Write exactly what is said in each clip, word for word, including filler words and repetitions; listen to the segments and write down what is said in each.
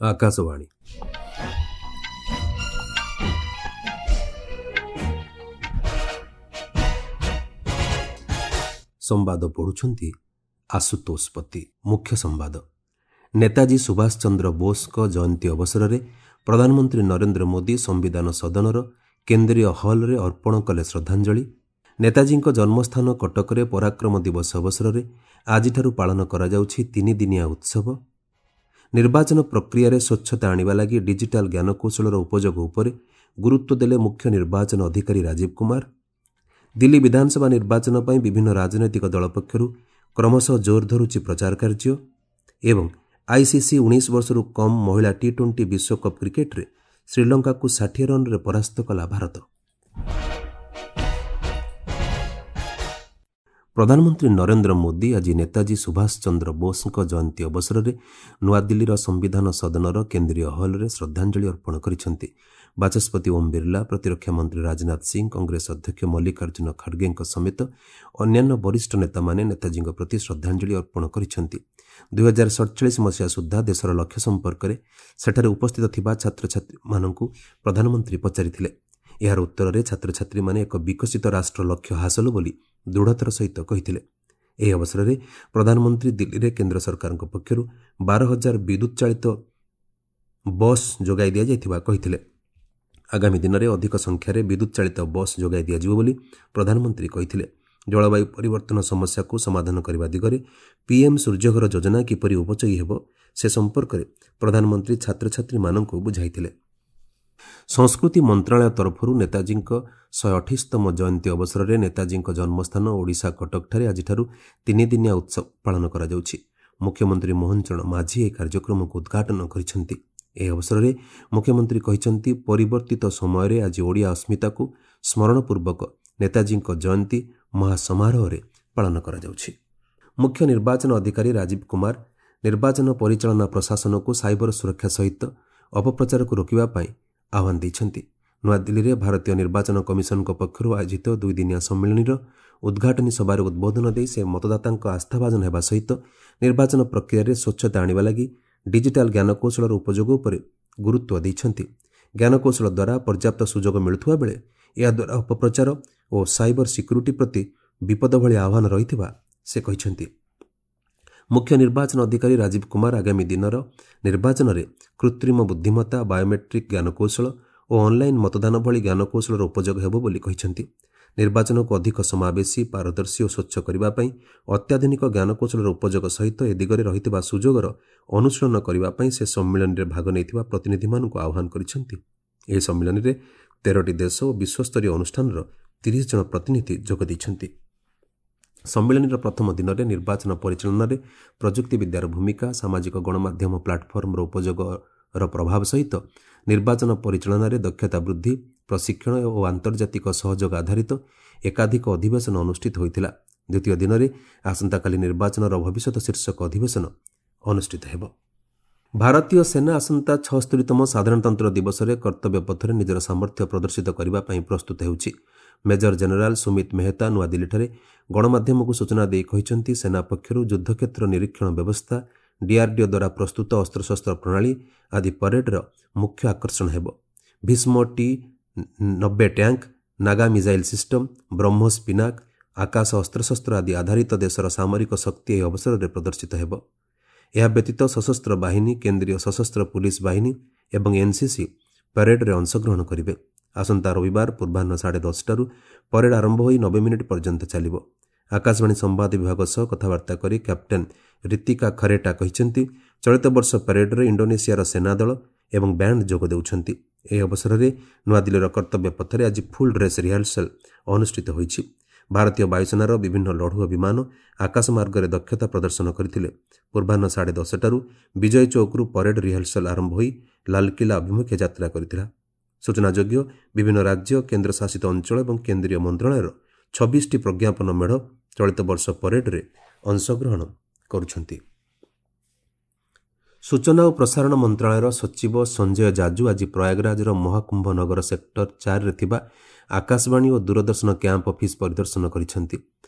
ଆକାଶବାଣୀ ସମ୍ବାଦ ପଢ଼ୁଛନ୍ତି ଆଶୁତୋଷ ପତି। ମୁଖ୍ୟ ସମ୍ବାଦ। ନେତାଜୀ ସୁଭାଷ ଚନ୍ଦ୍ର ବୋଷଙ୍କ ଜୟନ୍ତୀ ଅବସରରେ ପ୍ରଧାନମନ୍ତ୍ରୀ ନରେନ୍ଦ୍ର ମୋଦି ସମ୍ବିଧାନ ସଦନର କେନ୍ଦ୍ରୀୟ ହଲ୍ରେ ଅର୍ପଣ କଲେ ଶ୍ରଦ୍ଧାଞ୍ଜଳି। ନେତାଜୀଙ୍କ ଜନ୍ମସ୍ଥାନ କଟକରେ ପରାକ୍ରମ ଦିବସ ଅବସରରେ ଆଜିଠାରୁ ପାଳନ କରାଯାଉଛି ତିନିଦିନିଆ ଉତ୍ସବ। ନିର୍ବାଚନ ପ୍ରକ୍ରିୟାରେ ସ୍ୱଚ୍ଛତା ଆଣିବା ଲାଗି ଡିଜିଟାଲ ଜ୍ଞାନକୌଶଳର ଉପଯୋଗ ଉପରେ ଗୁରୁତ୍ୱ ଦେଲେ ମୁଖ୍ୟ ନିର୍ବାଚନ ଅଧିକାରୀ ରାଜୀବ କୁମାର। ଦିଲ୍ଲୀ ବିଧାନସଭା ନିର୍ବାଚନ ପାଇଁ ବିଭିନ୍ନ ରାଜନୈତିକ ଦଳ ପକ୍ଷରୁ କ୍ରମଶଃ ଜୋର ଧରୁଛି ପ୍ରଚାର କାର୍ଯ୍ୟ। ଏବଂ ଆଇସିସି ଉଣେଇଶ ବର୍ଷରୁ କମ୍ ମହିଳା ଟି ଟ୍ୱେଣ୍ଟି ବିଶ୍ୱକପ୍ କ୍ରିକେଟରେ ଶ୍ରୀଲଙ୍କାକୁ ଷାଠିଏ ରନ୍ରେ ପରାସ୍ତ କଲା ଭାରତ। ପ୍ରଧାନମନ୍ତ୍ରୀ ନରେନ୍ଦ୍ର ମୋଦି ଆଜି ନେତାଜୀ ସୁଭାଷ ଚନ୍ଦ୍ର ବୋଷଙ୍କ ଜୟନ୍ତୀ ଅବସରରେ ନୂଆଦିଲ୍ଲୀର ସମ୍ବିଧାନ ସଦନର କେନ୍ଦ୍ରୀୟ ହଲ୍ରେ ଶ୍ରଦ୍ଧାଞ୍ଜଳି ଅର୍ପଣ କରିଛନ୍ତି। ବାଚସ୍ପତି ଓମ୍ ବିର୍ଲା, ପ୍ରତିରକ୍ଷା ମନ୍ତ୍ରୀ ରାଜନାଥ ସିଂ, କଂଗ୍ରେସ ଅଧ୍ୟକ୍ଷ ମଲ୍ଲିକାର୍ଜୁନ ଖଡ଼ଗେଙ୍କ ସମେତ ଅନ୍ୟାନ୍ୟ ବରିଷ୍ଠ ନେତାମାନେ ନେତାଜୀଙ୍କ ପ୍ରତି ଶ୍ରଦ୍ଧାଞ୍ଜଳି ଅର୍ପଣ କରିଛନ୍ତି। ଦୁଇହଜାର ସଡ଼ଚାଳିଶ ମସିହା ସୁଦ୍ଧା ଦେଶର ଲକ୍ଷ୍ୟ ସମ୍ପର୍କରେ ସେଠାରେ ଉପସ୍ଥିତ ଥିବା ଛାତ୍ରଛାତ୍ରୀମାନଙ୍କୁ ପ୍ରଧାନମନ୍ତ୍ରୀ ପଚାରିଥିଲେ। ଏହାର ଉତ୍ତରରେ ଛାତ୍ରଛାତ୍ରୀମାନେ ଏକ ବିକଶିତ ରାଷ୍ଟ୍ର ଲକ୍ଷ୍ୟ ହାସଲ ବୋଲି ଦୃଢ଼ତାର ସହିତ କହିଥିଲେ। ଏହି ଅବସରରେ ପ୍ରଧାନମନ୍ତ୍ରୀ ଦିଲ୍ଲୀରେ କେନ୍ଦ୍ର ସରକାରଙ୍କ ପକ୍ଷରୁ ବାର ହଜାର ବିଦ୍ୟୁତ୍ ଚାଳିତ ବସ୍ ଯୋଗାଇ ଦିଆଯାଇଥିବା କହିଥିଲେ। ଆଗାମୀ ଦିନରେ ଅଧିକ ସଂଖ୍ୟାରେ ବିଦ୍ୟୁତ୍ ଚାଳିତ ବସ୍ ଯୋଗାଇ ଦିଆଯିବ ବୋଲି ପ୍ରଧାନମନ୍ତ୍ରୀ କହିଥିଲେ। ଜଳବାୟୁ ପରିବର୍ତ୍ତନ ସମସ୍ୟାକୁ ସମାଧାନ କରିବା ଦିଗରେ ପିଏମ୍ ସୂର୍ଯ୍ୟଘର ଯୋଜନା କିପରି ଉପଯୋଗୀ ହେବ ସେ ସମ୍ପର୍କରେ ପ୍ରଧାନମନ୍ତ୍ରୀ ଛାତ୍ରଛାତ୍ରୀମାନଙ୍କୁ ବୁଝାଇଥିଲେ। ସଂସ୍କୃତି ମନ୍ତ୍ରଣାଳୟ ତରଫରୁ ନେତାଜୀଙ୍କ ଶହେ ଅଠେଇଶତମ ଜୟନ୍ତୀ ଅବସରରେ ନେତାଜୀଙ୍କ ଜନ୍ମସ୍ଥାନ ଓଡ଼ିଶା କଟକଠାରେ ଆଜିଠାରୁ ତିନିଦିନିଆ ଉତ୍ସବ ପାଳନ କରାଯାଉଛି। ମୁଖ୍ୟମନ୍ତ୍ରୀ ମୋହନ ଚରଣ ମାଝୀ ଏହି କାର୍ଯ୍ୟକ୍ରମକୁ ଉଦ୍ଘାଟନ କରିଛନ୍ତି। ଏହି ଅବସରରେ ମୁଖ୍ୟମନ୍ତ୍ରୀ କହିଛନ୍ତି, ପରିବର୍ତ୍ତିତ ସମୟରେ ଆଜି ଓଡ଼ିଆ ଅସ୍ମିତାକୁ ସ୍ମରଣପୂର୍ବକ ନେତାଜୀଙ୍କ ଜୟନ୍ତୀ ମହାସମାରୋହରେ ପାଳନ କରାଯାଉଛି। ମୁଖ୍ୟ ନିର୍ବାଚନ ଅଧିକାରୀ ରାଜୀବ କୁମାର ନିର୍ବାଚନ ପରିଚାଳନା ପ୍ରଶାସନକୁ ସାଇବର ସୁରକ୍ଷା ସହିତ ଅପପ୍ରଚାରକୁ ରୋକିବା ପାଇଁ ଆହ୍ୱାନ ଦେଇଛନ୍ତି। ନୂଆଦିଲ୍ଲୀରେ ଭାରତୀୟ ନିର୍ବାଚନ କମିଶନଙ୍କ ପକ୍ଷରୁ ଆୟୋଜିତ ଦୁଇଦିନିଆ ସମ୍ମିଳନୀର ଉଦ୍ଘାଟନୀ ସଭାରେ ଉଦ୍ବୋଧନ ଦେଇ ସେ ମତଦାତାଙ୍କ ଆସ୍ଥାଭାଜନ ହେବା ସହିତ ନିର୍ବାଚନ ପ୍ରକ୍ରିୟାରେ ସ୍ୱଚ୍ଛତା ଆଣିବା ଲାଗି ଡିଜିଟାଲ ଜ୍ଞାନକୌଶଳର ଉପଯୋଗ ଉପରେ ଗୁରୁତ୍ୱ ଦେଇଛନ୍ତି। ଜ୍ଞାନକୌଶଳ ଦ୍ୱାରା ପର୍ଯ୍ୟାପ୍ତ ସୁଯୋଗ ମିଳୁଥିବା ବେଳେ ଏହାଦ୍ୱାରା ଅପପ୍ରଚାର ଓ ସାଇବର ସିକ୍ୟୁରିଟି ପ୍ରତି ବିପଦ ଭଳି ଆହ୍ୱାନ ରହିଥିବା ସେ କହିଛନ୍ତି। ମୁଖ୍ୟ ନିର୍ବାଚନ ଅଧିକାରୀ ରାଜୀବ କୁମାର ଆଗାମୀ ଦିନର ନିର୍ବାଚନରେ କୃତ୍ରିମ ବୁଦ୍ଧିମତ୍ତା, ବାୟୋମେଟ୍ରିକ୍ ଜ୍ଞାନକୌଶଳ ଓ ଅନ୍ଲାଇନ୍ ମତଦାନ ଭଳି ଜ୍ଞାନକୌଶଳର ଉପଯୋଗ ହେବ ବୋଲି କହିଛନ୍ତି। ନିର୍ବାଚନକୁ ଅଧିକ ସମାବେଶୀ, ପାରଦର୍ଶୀ ଓ ସ୍ୱଚ୍ଛ କରିବା ପାଇଁ ଅତ୍ୟାଧୁନିକ ଜ୍ଞାନକୌଶଳର ଉପଯୋଗ ସହିତ ଏ ଦିଗରେ ରହିଥିବା ସୁଯୋଗର ଅନୁଶୀଳନ କରିବା ପାଇଁ ସେ ସମ୍ମିଳନୀରେ ଭାଗ ନେଇଥିବା ପ୍ରତିନିଧିମାନଙ୍କୁ ଆହ୍ୱାନ କରିଛନ୍ତି। ଏହି ସମ୍ମିଳନୀରେ ତେରଟି ଦେଶ ଓ ବିଶ୍ୱସ୍ତରୀୟ ଅନୁଷ୍ଠାନର ତିରିଶ ଜଣ ପ୍ରତିନିଧି ଯୋଗ ଦେଇଛନ୍ତି। ସମ୍ମିଳନୀର ପ୍ରଥମ ଦିନରେ ନିର୍ବାଚନ ପରିଚାଳନାରେ ପ୍ରଯୁକ୍ତିବିଦ୍ୟାର ଭୂମିକା, ସାମାଜିକ ଗଣମାଧ୍ୟମ ପ୍ଲାଟଫର୍ମର ଉପଯୋଗର ପ୍ରଭାବ ସହିତ ନିର୍ବାଚନ ପରିଚାଳନାରେ ଦକ୍ଷତା ବୃଦ୍ଧି, ପ୍ରଶିକ୍ଷଣ ଓ ଆନ୍ତର୍ଜାତିକ ସହଯୋଗ ଆଧାରିତ ଏକାଧିକ ଅଧିବେଶନ ଅନୁଷ୍ଠିତ ହୋଇଥିଲା। ଦ୍ୱିତୀୟ ଦିନରେ ଆସନ୍ତାକାଲି ନିର୍ବାଚନର ଭବିଷ୍ୟତ ଶୀର୍ଷକ ଅଧିବେଶନ ଅନୁଷ୍ଠିତ ହେବ। ଭାରତୀୟ ସେନା ଆସନ୍ତା ଛଅସ୍ତରୀତମ ସାଧାରଣତନ୍ତ୍ର ଦିବସରେ କର୍ତ୍ତବ୍ୟ ପଥରେ ନିଜର ସାମର୍ଥ୍ୟ ପ୍ରଦର୍ଶିତ କରିବା ପାଇଁ ପ୍ରସ୍ତୁତ ହେଉଛି। ମେଜର ଜେନେରାଲ ସୁମିତ ମେହତା ନୂଆଦିଲ୍ଲୀଠାରେ ଗଣମାଧ୍ୟମକୁ ସୂଚନା ଦେଇ କହିଛନ୍ତି, ସେନା ପକ୍ଷରୁ ଯୁଦ୍ଧକ୍ଷେତ୍ର ନିରୀକ୍ଷଣ ବ୍ୟବସ୍ଥା, ଡିଆର୍ଡିଓ ଦ୍ୱାରା ପ୍ରସ୍ତୁତ ଅସ୍ତ୍ରଶସ୍ତ୍ର ପ୍ରଣାଳୀ ଆଦି ପରେଡ୍ର ମୁଖ୍ୟ ଆକର୍ଷଣ ହେବ। ଭୀଷ୍ମ ଟି ନବେ tank, Nag missile system, BrahMos Pinaka, Akash ଅସ୍ତ୍ରଶସ୍ତ୍ର ଆଦି ଆଧାରିତ ଦେଶର ସାମରିକ ଶକ୍ତି ଏହି ଅବସରରେ ପ୍ରଦର୍ଶିତ ହେବ। ଏହା ବ୍ୟତୀତ ସଶସ୍ତ୍ର ବାହିନୀ, କେନ୍ଦ୍ରୀୟ ସଶସ୍ତ୍ର ପୁଲିସ ବାହିନୀ ଏବଂ ଏନ୍ସିସି ପରେଡ୍ରେ ଅଂଶଗ୍ରହଣ କରିବେ। ଆସନ୍ତା ରବିବାର ପୂର୍ବାହ୍ନ ସାଢ଼େ ଦଶଟାରୁ ପରେଡ୍ ଆରମ୍ଭ ହୋଇ ନବେ ମିନିଟ୍ ପର୍ଯ୍ୟନ୍ତ ଚାଲିବ। ଆକାଶବାଣୀ ସମ୍ବାଦ ବିଭାଗ ସହ କଥାବାର୍ତ୍ତା କରି କ୍ୟାପ୍ଟେନ୍ ରୀତିକା ଖରେଟା କହିଛନ୍ତି, ଚଳିତ ବର୍ଷ ପରେଡ୍ରେ ଇଣ୍ଡୋନେସିଆର ସେନାଦଳ ଏବଂ ବ୍ୟାଣ୍ଡ ଯୋଗ ଦେଉଛନ୍ତି। ଏହି ଅବସରରେ ନୂଆଦିଲ୍ଲୀର କର୍ତ୍ତବ୍ୟ ପଥରେ ଆଜି ଫୁଲ୍ ଡ୍ରେସ୍ ରିହର୍ସାଲ୍ ଅନୁଷ୍ଠିତ ହୋଇଛି। ଭାରତୀୟ ବାୟୁସେନାର ବିଭିନ୍ନ ଲଢୁଆ ବିମାନ ଆକାଶମାର୍ଗରେ ଦକ୍ଷତା ପ୍ରଦର୍ଶନ କରିଥିଲେ। ପୂର୍ବାହ୍ନ ସାଢ଼େ ଦଶଟାରୁ ବିଜୟ ଚୌକରୁ ପରେଡ୍ ରିହର୍ସାଲ୍ ଆରମ୍ଭ ହୋଇ ଲାଲକିଲ୍ଲା ଅଭିମୁଖେ ଯାତ୍ରା କରିଥିଲା। ସୂଚନାଯୋଗ୍ୟ, ବିଭିନ୍ନ ରାଜ୍ୟ, କେନ୍ଦ୍ରଶାସିତ ଅଞ୍ଚଳ ଏବଂ କେନ୍ଦ୍ରୀୟ ମନ୍ତ୍ରଣାଳୟର ଛବିଶଟି ପ୍ରଜ୍ଞାପନ ମେଢ଼ ଚଳିତ ବର୍ଷ ପରେଡ୍ରେ ଅଂଶଗ୍ରହଣ କରୁଛନ୍ତି। ସୂଚନା ଓ ପ୍ରସାରଣ ମନ୍ତ୍ରଣାଳୟର ସଚିବ ସଞ୍ଜୟ ଜାଜୁ ଆଜି ପ୍ରୟାଗରାଜର ମହାକୁମ୍ଭ ନଗର ସେକ୍ଟର ଚାରିରେ ଥିବା ଆକାଶବାଣୀ ଓ ଦୂରଦର୍ଶନ କ୍ୟାମ୍ପ ଅଫିସ୍ ପରିଦର୍ଶନ କରିଛନ୍ତି।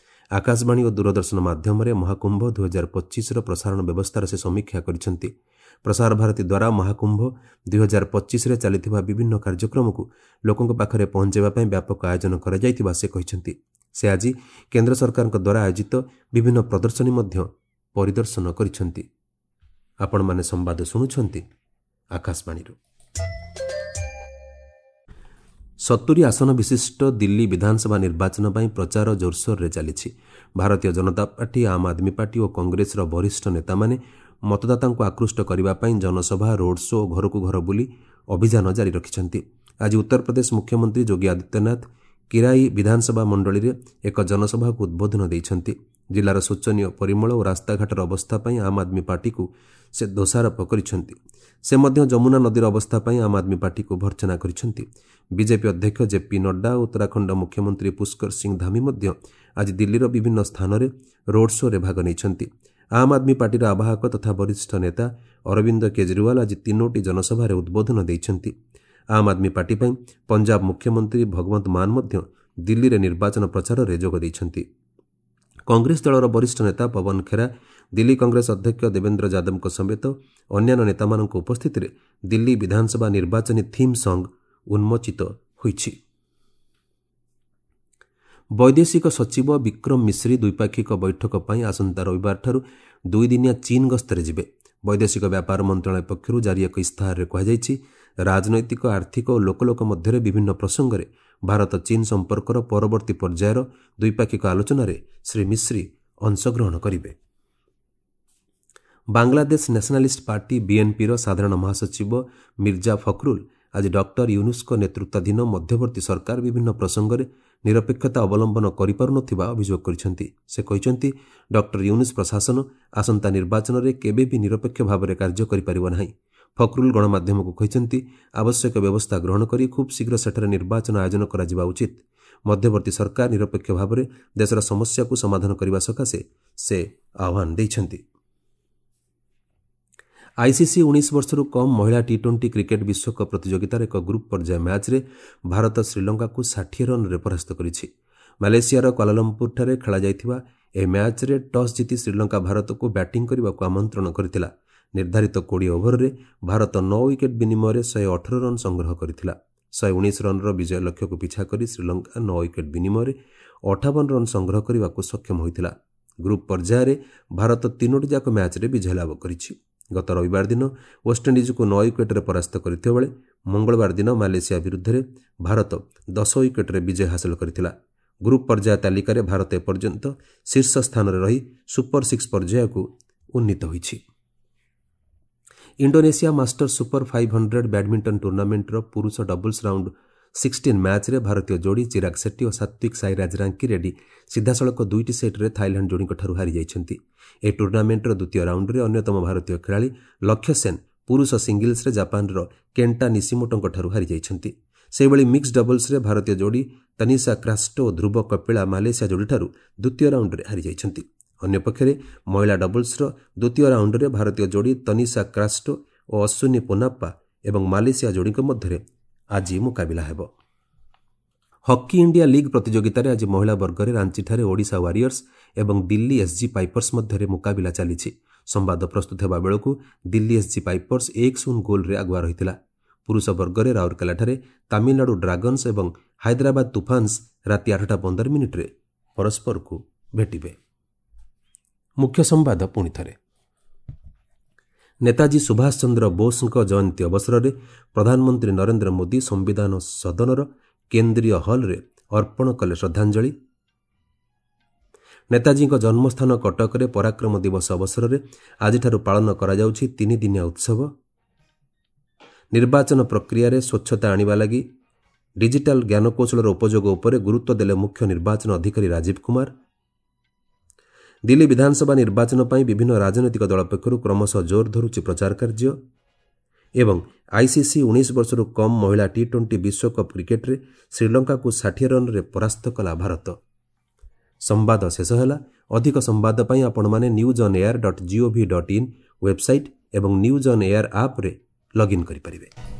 ଆକାଶବାଣୀ ଓ ଦୂରଦର୍ଶନ ମାଧ୍ୟମରେ ମହାକୁମ୍ଭ ଦୁଇହଜାର ପଚିଶର ପ୍ରସାରଣ ବ୍ୟବସ୍ଥାର ସେ ସମୀକ୍ଷା କରିଛନ୍ତି। ପ୍ରସାର ଭାରତୀ ଦ୍ୱାରା ମହାକୁମ୍ଭ ଦୁଇହଜାର ପଚିଶରେ ଚାଲିଥିବା ବିଭିନ୍ନ କାର୍ଯ୍ୟକ୍ରମକୁ ଲୋକଙ୍କ ପାଖରେ ପହଞ୍ଚାଇବା ପାଇଁ ବ୍ୟାପକ ଆୟୋଜନ କରାଯାଇଥିବା ସେ କହିଛନ୍ତି। ସେ ଆଜି କେନ୍ଦ୍ର ସରକାରଙ୍କ ଦ୍ୱାରା ଆୟୋଜିତ ବିଭିନ୍ନ ପ୍ରଦର୍ଶନୀ ମଧ୍ୟ ପରିଦର୍ଶନ କରିଛନ୍ତି। ଆପଣମାନେ ସମ୍ବାଦ ଶୁଣୁଛନ୍ତି ଆକାଶବାଣୀରୁ। ସତୁରି ଆସନ ବିଶିଷ୍ଟ ଦିଲ୍ଲୀ ବିଧାନସଭା ନିର୍ବାଚନ ପାଇଁ ପ୍ରଚାର ଜୋରସୋରରେ ଚାଲିଛି। ଭାରତୀୟ ଜନତା ପାର୍ଟି, ଆମ୍ ଆଦମୀ ପାର୍ଟି ଓ କଂଗ୍ରେସର ବରିଷ୍ଠ ନେତାମାନେ ମତଦାତାଙ୍କୁ ଆକୃଷ୍ଟ କରିବା ପାଇଁ ଜନସଭା, ରୋଡ୍ ଶୋ ଓ ଘରକୁ ଘର ବୁଲି ଅଭିଯାନ ଜାରି ରଖିଛନ୍ତି। ଆଜି ଉତ୍ତରପ୍ରଦେଶ ମୁଖ୍ୟମନ୍ତ୍ରୀ ଯୋଗୀ ଆଦିତ୍ୟନାଥ କିରାଇ ବିଧାନସଭା ମଣ୍ଡଳୀରେ ଏକ ଜନସଭାକୁ ଉଦ୍ବୋଧନ ଦେଇଛନ୍ତି। ଜିଲ୍ଲାର ଶୋଚନୀୟ ପରିମଳ ଓ ରାସ୍ତାଘାଟର ଅବସ୍ଥା ପାଇଁ ଆମ୍ ଆଦମୀ ପାର୍ଟିକୁ ସେ ଦୋଷାରୋପ କରିଛନ୍ତି। ସେ ମଧ୍ୟ ଯମୁନା ନଦୀର ଅବସ୍ଥା ପାଇଁ ଆମ୍ ଆଦମୀ ପାର୍ଟିକୁ ଭର୍ତ୍ସନା କରିଛନ୍ତି। ବିଜେପି ଅଧ୍ୟକ୍ଷ ଜେପି ନଡ୍ଡା ଓ ଉତ୍ତରାଖଣ୍ଡ ମୁଖ୍ୟମନ୍ତ୍ରୀ ପୁଷ୍କର ସିଂ ଧାମି ମଧ୍ୟ ଆଜି ଦିଲ୍ଲୀର ବିଭିନ୍ନ ସ୍ଥାନରେ ରୋଡ୍ ଶୋରେ ଭାଗ ନେଇଛନ୍ତି। ଆମ୍ ଆଦମୀ ପାର୍ଟିର ଆବାହକ ତଥା ବରିଷ୍ଠ ନେତା ଅରବିନ୍ଦ କେଜରିୱାଲ ଆଜି ତିନୋଟି ଜନସଭାରେ ଉଦ୍ବୋଧନ ଦେଇଛନ୍ତି। ଆମ୍ ଆଦମୀ ପାର୍ଟି ପାଇଁ ପଞ୍ଜାବ ମୁଖ୍ୟମନ୍ତ୍ରୀ ଭଗବନ୍ତ ମାନ ମଧ୍ୟ ଦିଲ୍ଲୀରେ ନିର୍ବାଚନ ପ୍ରଚାରରେ ଯୋଗ ଦେଇଛନ୍ତି। କଂଗ୍ରେସ ଦଳର ବରିଷ୍ଠ ନେତା ପବନ ଖେରା, ଦିଲ୍ଲୀ କଂଗ୍ରେସ ଅଧ୍ୟକ୍ଷ ଦେବେନ୍ଦ୍ର ଯାଦବଙ୍କ ସମେତ ଅନ୍ୟାନ୍ୟ ନେତାମାନଙ୍କ ଉପସ୍ଥିତିରେ ଦିଲ୍ଲୀ ବିଧାନସଭା ନିର୍ବାଚନୀ ଥିମ୍ ସଙ୍ଗ୍ ଉନ୍ମୋଚିତ ହୋଇଛି। ବୈଦେଶିକ ସଚିବ ବିକ୍ରମ ମିଶ୍ରି ଦ୍ୱିପାକ୍ଷିକ ବୈଠକ ପାଇଁ ଆସନ୍ତା ରବିବାରଠାରୁ ଦୁଇଦିନିଆ ଚୀନ୍ ଗସ୍ତରେ ଯିବେ। ବୈଦେଶିକ ବ୍ୟାପାର ମନ୍ତ୍ରଣାଳୟ ପକ୍ଷରୁ ଜାରି ଏକ ଇସ୍ତାହାରରେ କୁହାଯାଇଛି, ରାଜନୈତିକ, ଆର୍ଥିକ ଓ ଲୋକ ଲୋକ ମଧ୍ୟରେ ବିଭିନ୍ନ ପ୍ରସଙ୍ଗରେ ଭାରତ ଚୀନ୍ ସମ୍ପର୍କର ପରବର୍ତ୍ତୀ ପର୍ଯ୍ୟାୟର ଦ୍ୱିପାକ୍ଷିକ ଆଲୋଚନାରେ ଶ୍ରୀ ମିଶ୍ରି ଅଂଶଗ୍ରହଣ କରିବେ। ବାଂଲାଦେଶ ନ୍ୟାସନାଲିଷ୍ଟ ପାର୍ଟି ବିଏନ୍ପିର ସାଧାରଣ ମହାସଚିବ ମିର୍ଜା ଫଖରୁଲ ଆଜି ଡକ୍ଟର ୟୁନୁସ୍ଙ୍କ ନେତୃତ୍ୱାଧୀନ ମଧ୍ୟବର୍ତ୍ତୀ ସରକାର ବିଭିନ୍ନ ପ୍ରସଙ୍ଗରେ ନିରପେକ୍ଷତା ଅବଲମ୍ବନ କରିପାରୁନଥିବା ଅଭିଯୋଗ କରିଛନ୍ତି। ସେ କହିଛନ୍ତି, ଡକ୍ଟର ୟୁନୁସ୍ ପ୍ରଶାସନ ଆସନ୍ତା ନିର୍ବାଚନରେ କେବେ ବି ନିରପେକ୍ଷ ଭାବରେ କାର୍ଯ୍ୟ କରିପାରିବ ନାହିଁ। ଫଖରୁଲ ଗଣମାଧ୍ୟମକୁ କହିଛନ୍ତି, ଆବଶ୍ୟକ ବ୍ୟବସ୍ଥା ଗ୍ରହଣ କରି ଖୁବ୍ ଶୀଘ୍ର ସେଠାରେ ନିର୍ବାଚନ ଆୟୋଜନ କରାଯିବା ଉଚିତ। ମଧ୍ୟବର୍ତ୍ତୀ ସରକାର ନିରପେକ୍ଷ ଭାବରେ ଦେଶର ସମସ୍ୟାକୁ ସମାଧାନ କରିବା ସକାଶେ ସେ ଆହ୍ୱାନ ଦେଇଛନ୍ତି। ଆଇସିସି ଉଣେଇଶ ବର୍ଷରୁ କମ୍ ମହିଳା ଟି ଟ୍ୱେଣ୍ଟି କ୍ରିକେଟ୍ ବିଶ୍ୱକପ୍ ପ୍ରତିଯୋଗିତାର ଏକ ଗ୍ରୁପ୍ ପର୍ଯ୍ୟାୟ ମ୍ୟାଚ୍ରେ ଭାରତ ଶ୍ରୀଲଙ୍କାକୁ ଷାଠିଏ ରନ୍ରେ ପରାସ୍ତ କରିଛି। ମାଲେସିଆର କ୍ୱାଲାଲମ୍ପୁରଠାରେ ଖେଳାଯାଇଥିବା ଏହି ମ୍ୟାଚ୍ରେ ଟସ୍ ଜିତି ଶ୍ରୀଲଙ୍କା ଭାରତକୁ ବ୍ୟାଟିଂ କରିବାକୁ ଆମନ୍ତ୍ରଣ କରିଥିଲା। ନିର୍ଦ୍ଧାରିତ କୋଡ଼ିଏ ଓଭରରେ ଭାରତ ନଅ ୱିକେଟ୍ ବିନିମୟରେ ଶହେ ଅଠର ରନ୍ ସଂଗ୍ରହ କରିଥିଲା। ଶହେ ଉଣେଇଶ ରନ୍ର ବିଜୟ ଲକ୍ଷ୍ୟକୁ ପିଛା କରି ଶ୍ରୀଲଙ୍କା ନଅ ୱିକେଟ୍ ବିନିମୟରେ ଅଠାବନ ରନ୍ ସଂଗ୍ରହ କରିବାକୁ ସକ୍ଷମ ହୋଇଥିଲା। ଗ୍ରୁପ୍ ପର୍ଯ୍ୟାୟରେ ଭାରତ ତିନୋଟି ଯାକ ମ୍ୟାଚ୍ରେ ବିଜୟ ଲାଭ କରିଛି। ଗତ ରବିବାର ଦିନ ୱେଷ୍ଟଇଣ୍ଡିଜ୍କୁ ନଅ ୱିକେଟ୍ରେ ପରାସ୍ତ କରିଥିବା ବେଳେ ମଙ୍ଗଳବାର ଦିନ ମାଲେସିଆ ବିରୁଦ୍ଧରେ ଭାରତ ଦଶ ୱିକେଟ୍ରେ ବିଜୟ ହାସଲ କରିଥିଲା। ଗ୍ରୁପ୍ ପର୍ଯ୍ୟାୟ ତାଲିକାରେ ଭାରତ ଏପର୍ଯ୍ୟନ୍ତ ଶୀର୍ଷ ସ୍ଥାନରେ ରହି ସୁପର ସିକ୍ସ ପର୍ଯ୍ୟାୟକୁ ଉନ୍ନୀତ ହୋଇଛି। Indonesia master super five hundred badminton ଟୁର୍ଣ୍ଣାମେଣ୍ଟର ପୁରୁଷ ଡବଲ୍ସ ରାଉଣ୍ଡ ସିକ୍ସଟିନ୍ ମ୍ୟାଚ୍ରେ ଭାରତୀୟ ଯୋଡ଼ି ଚିରାଗ ସେଟ୍ଟି ଓ ସାତ୍ୱିକ ସାଇରାଜ ରାଙ୍କି ରେଡ୍ଡି ସିଧାସଳଖ ଦୁଇଟି ସେଟ୍ରେ ଥାଇଲାଣ୍ଡ ଯୋଡ଼ିଙ୍କଠାରୁ ହାରିଯାଇଛନ୍ତି। ଏହି ଟୁର୍ଣ୍ଣାମେଣ୍ଟର ଦ୍ୱିତୀୟ ରାଉଣ୍ଡରେ ଅନ୍ୟତମ ଭାରତୀୟ ଖେଳାଳି ଲକ୍ଷ୍ୟ ସେନ୍ ପୁରୁଷ ସିଙ୍ଗଲ୍ସରେ ଜାପାନର କେଣ୍ଟା ନିସିମୋଟୋଙ୍କଠାରୁ ହାରିଯାଇଛନ୍ତି। ସେହିଭଳି ମିକ୍ସ ଡବଲ୍ସରେ ଭାରତୀୟ ଯୋଡ଼ି ତନିଷା କ୍ରାଷ୍ଟୋ ଓ ଧ୍ରୁବ କପିଳା ମାଲେସିଆ ଯୋଡ଼ିଠାରୁ ଦ୍ୱିତୀୟ ରାଉଣ୍ଡରେ ହାରିଯାଇଛନ୍ତି। ଅନ୍ୟପକ୍ଷରେ ମହିଳା ଡବଲ୍ସର ଦ୍ୱିତୀୟ ରାଉଣ୍ଡରେ ଭାରତୀୟ ଯୋଡ଼ି ତନିଷା କ୍ରାଷ୍ଟୋ ଓ ଅଶ୍ୱିନୀ ପୋନାପ୍ପା ଏବଂ ମାଲେସିଆ ଯୋଡ଼ିଙ୍କ ମଧ୍ୟରେ ଆଜି ମୁକାବିଲା ହେବ। ହକି ଇଣ୍ଡିଆ ଲିଗ୍ ପ୍ରତିଯୋଗିତାରେ ଆଜି ମହିଳା ବର୍ଗରେ ରାଞ୍ଚିଠାରେ ଓଡ଼ିଶା ୱାରିୟର୍ସ ଏବଂ ଦିଲ୍ଲୀ ଏସ୍ଜି ପାଇପର୍ସ ମଧ୍ୟରେ ମୁକାବିଲା ଚାଲିଛି। ସମ୍ବାଦ ପ୍ରସ୍ତୁତ ହେବା ବେଳକୁ ଦିଲ୍ଲୀ ଏସ୍ଜି ପାଇପର୍ସ ଏକ ଶୂନ ଗୋଲ୍ରେ ଆଗୁଆ ରହିଥିଲା। ପୁରୁଷ ବର୍ଗରେ ରାଉରକେଲାଠାରେ ତାମିଲନାଡୁ ଡ୍ରାଗନ୍ସ ଏବଂ ହାଇଦ୍ରାବାଦ ତୁଫାନ୍ସ ରାତି ଆଠଟା ପନ୍ଦର ମିନିଟ୍ରେ ପରସ୍ପରକୁ ଭେଟିବେ। ମୁଖ୍ୟ ସମ୍ବାଦ ପୁଣି ଥରେ। ନେତାଜୀ ସୁଭାଷ ଚନ୍ଦ୍ର ବୋଷଙ୍କ ଜୟନ୍ତୀ ଅବସରରେ ପ୍ରଧାନମନ୍ତ୍ରୀ ନରେନ୍ଦ୍ର ମୋଦି ସମ୍ବିଧାନ ସଦନର କେନ୍ଦ୍ରୀୟ ହଲ୍ରେ ଅର୍ପଣ କଲେ ଶ୍ରଦ୍ଧାଞ୍ଜଳି। ନେତାଜୀଙ୍କ ଜନ୍ମସ୍ଥାନ କଟକରେ ପରାକ୍ରମ ଦିବସ ଅବସରରେ ଆଜିଠାରୁ ପାଳନ କରାଯାଉଛି ତିନିଦିନିଆ ଉତ୍ସବ। ନିର୍ବାଚନ ପ୍ରକ୍ରିୟାରେ ସ୍ୱଚ୍ଛତା ଆଣିବା ଲାଗି ଡିଜିଟାଲ ଜ୍ଞାନକୌଶଳର ଉପଯୋଗ ଉପରେ ଗୁରୁତ୍ୱ ଦେଲେ ମୁଖ୍ୟ ନିର୍ବାଚନ ଅଧିକାରୀ ରାଜୀବ କୁମାର। ଦିଲ୍ଲୀ ବିଧାନସଭା ନିର୍ବାଚନ ପାଇଁ ବିଭିନ୍ନ ରାଜନୈତିକ ଦଳ ପକ୍ଷରୁ କ୍ରମଶଃ ଜୋର ଧରୁଛି ପ୍ରଚାର କାର୍ଯ୍ୟ। ଏବଂ ଆଇସିସି ଉଣେଇଶ ବର୍ଷରୁ କମ୍ ମହିଳା ଟି ଟ୍ୱେଣ୍ଟି ବିଶ୍ୱକପ୍ କ୍ରିକେଟ୍ରେ ଶ୍ରୀଲଙ୍କାକୁ ଷାଠିଏ ରନ୍ରେ ପରାସ୍ତ କଲା ଭାରତ। ସମ୍ବାଦ ଶେଷ ହେଲା। ଅଧିକ ସମ୍ବାଦ ପାଇଁ ଆପଣମାନେ news on air dot gov dot in website ଏବଂ ନ୍ୟୁଜ୍ ଅନ୍ ଏୟାର ଆପ୍ରେ ଲଗ୍ଇନ୍ କରିପାରିବେ।